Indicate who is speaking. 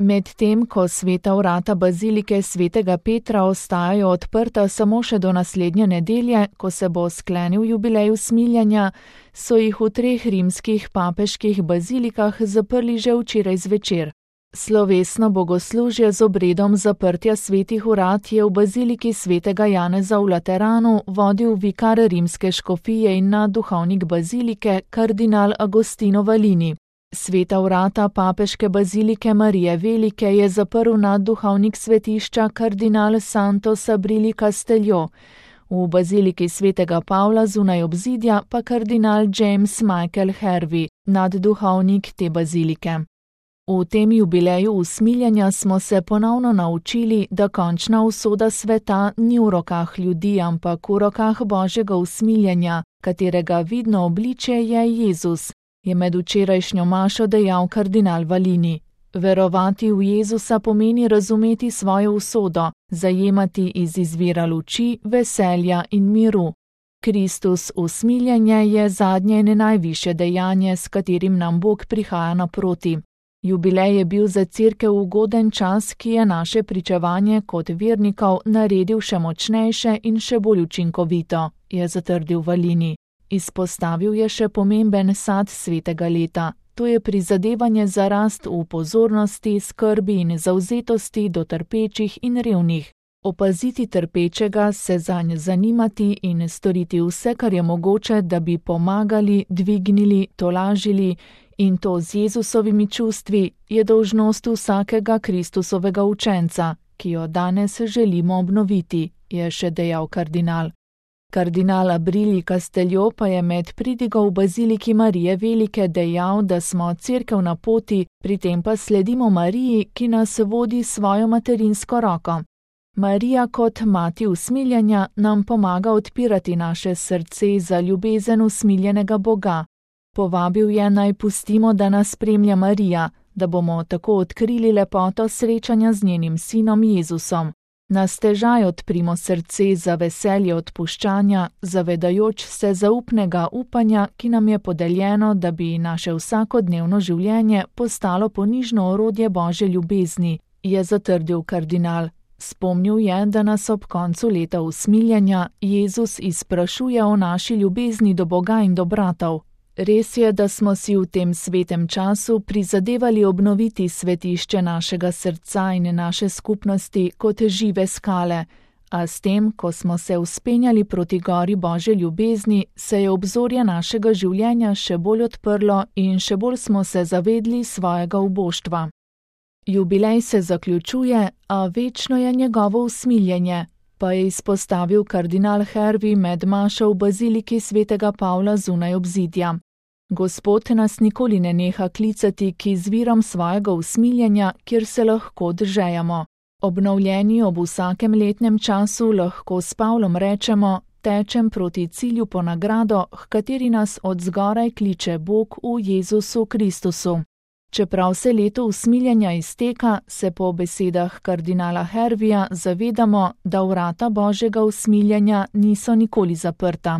Speaker 1: Medtem ko sveta vrata bazilike svetega Petra ostajajo odprta samo še do naslednje nedelje, ko se bo sklenil jubilej usmiljenja, so jih v 3 rimskih papeških bazilikah zaprli že včeraj zvečer. Slovesno bogoslužje z obredom zaprtja svetih vrat je v baziliki svetega Janeza v Lateranu vodil vikar rimske škofije in nadduhovnik bazilike kardinal Agostino Valini. Sveta vrata papeške bazilike Marije Velike je zaprl nadduhovnik svetišča kardinal Santos Abrili Castello, v baziliki svetega Pavla zunaj obzidja pa kardinal James Michael Hervey, nadduhovnik te bazilike. V tem jubileju usmiljenja smo se ponovno naučili, da končna usoda sveta ni v rokah ljudi, ampak v rokah Božjega usmiljenja, katerega vidno obličje je Jezus, je med včerajšnjo mašo dejal kardinal Valini. Verovati v Jezusa pomeni razumeti svojo usodo, zajemati iz izvira luči, veselja in miru. Kristus usmiljenje je zadnje in najvišje dejanje, s katerim nam Bog prihaja naproti. Jubilej je bil za Cerkev ugoden čas, ki je naše pričevanje kot vernikov naredil še močnejše in še bolj učinkovito, je zatrdil Valini. Izpostavil je še pomemben sad svetega leta, to je prizadevanje za rast v pozornosti, skrbi in zavzetosti do trpečih in revnih. Opaziti trpečega, se zanj zanimati in storiti vse, kar je mogoče, da bi pomagali, dvignili, tolažili, in to z Jezusovimi čustvi, je dolžnost vsakega Kristusovega učenca, ki jo danes želimo obnoviti, je še dejal kardinal. Kardinal Abrili Castello pa je med pridigo v baziliki Marije Velike dejal, da smo Cerkev na poti, pri tem pa sledimo Mariji, ki nas vodi svojo materinsko roko. Marija kot mati usmiljenja nam pomaga odpirati naše srce za ljubezen usmiljenega Boga. Povabil je, naj pustimo, da nas spremlja Marija, da bomo tako odkrili lepoto srečanja z njenim sinom Jezusom. Na stežaj odprimo srce za veselje odpuščanja, zavedajoč se zaupnega upanja, ki nam je podeljeno, da bi naše vsakodnevno življenje postalo ponižno orodje Božje ljubezni, je zatrdil kardinal. Spomnil je, da nas ob koncu leta usmiljenja Jezus izprašuje o naši ljubezni do Boga in do bratov. Res je, da smo si v tem svetem času prizadevali obnoviti svetišče našega srca in naše skupnosti kot žive skale, a s tem, ko smo se vzpenjali proti gori Božje ljubezni, se je obzorje našega življenja še bolj odprlo in še bolj smo se zavedli svojega uboštva. Jubilej se zaključuje, a večno je njegovo usmiljenje, pa je izpostavil kardinal Hervey med mašo v baziliki svetega Pavla zunaj obzidja. Gospod nas nikoli ne neha klicati k izvirom svojega usmiljenja, kjer se lahko držejamo. Obnovljeni ob vsakem letnem času lahko s Pavlom rečemo, tečem proti cilju po nagrado, h kateri nas od zgoraj kliče Bog v Jezusu Kristusu. Čeprav se leto usmiljenja izteka, se po besedah kardinala Herveja zavedamo, da vrata Božjega usmiljenja niso nikoli zaprta.